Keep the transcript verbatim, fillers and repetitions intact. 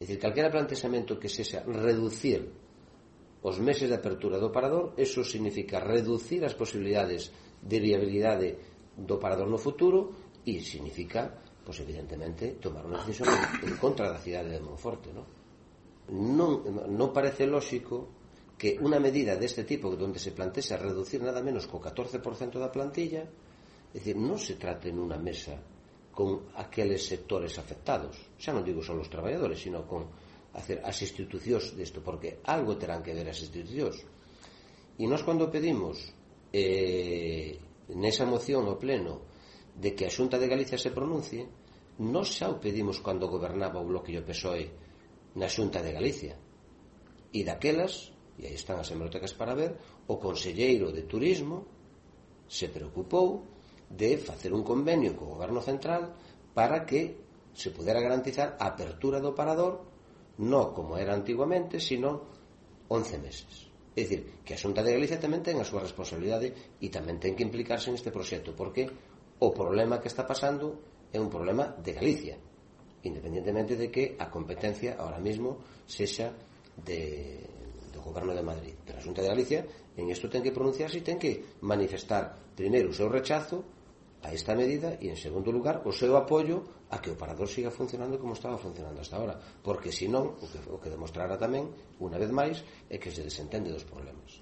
dicir, calquera plantexamento que sexa reducir os meses de apertura do parador, eso significa reducir as posibilidades de viabilidade do parador no futuro e significa, pois evidentemente, tomar unha decisión en contra da cidade de Monforte, non? Non, non parece lóxico que unha medida deste tipo onde se plantexa reducir nada menos co catorce por cento da plantilla, é dicir, non se trate nunha mesa con aqueles sectores afectados, xa non digo só os traballadores, sino con hacer as institucións desto, porque algo terán que ver as institucións. E nós cando pedimos eh, nesa moción ao pleno de que a Xunta de Galicia se pronuncie, nós xa o pedimos cando gobernaba o Bloque e o P S O E na Xunta de Galicia, e daquelas, e aí están as hemerotecas para ver, o conselleiro de Turismo se preocupou de facer un convenio co goberno central para que se pudera garantizar a apertura do parador non como era antiguamente, sino once meses. É dicir, que a Xunta de Galicia tamén ten a súa responsabilidade e tamén ten que implicarse neste proxecto, porque o problema que está pasando é un problema de Galicia, independentemente de que a competencia ahora mismo sexa de, do goberno de Madrid. Pero a Xunta de Galicia en isto ten que pronunciarse e ten que manifestar primeiro o seu rechazo a esta medida e, en segundo lugar, o seu apoio a que o parador siga funcionando como estaba funcionando hasta ahora, porque senón o que, o que demostrará tamén, unha vez máis, é que se desentende dos problemas.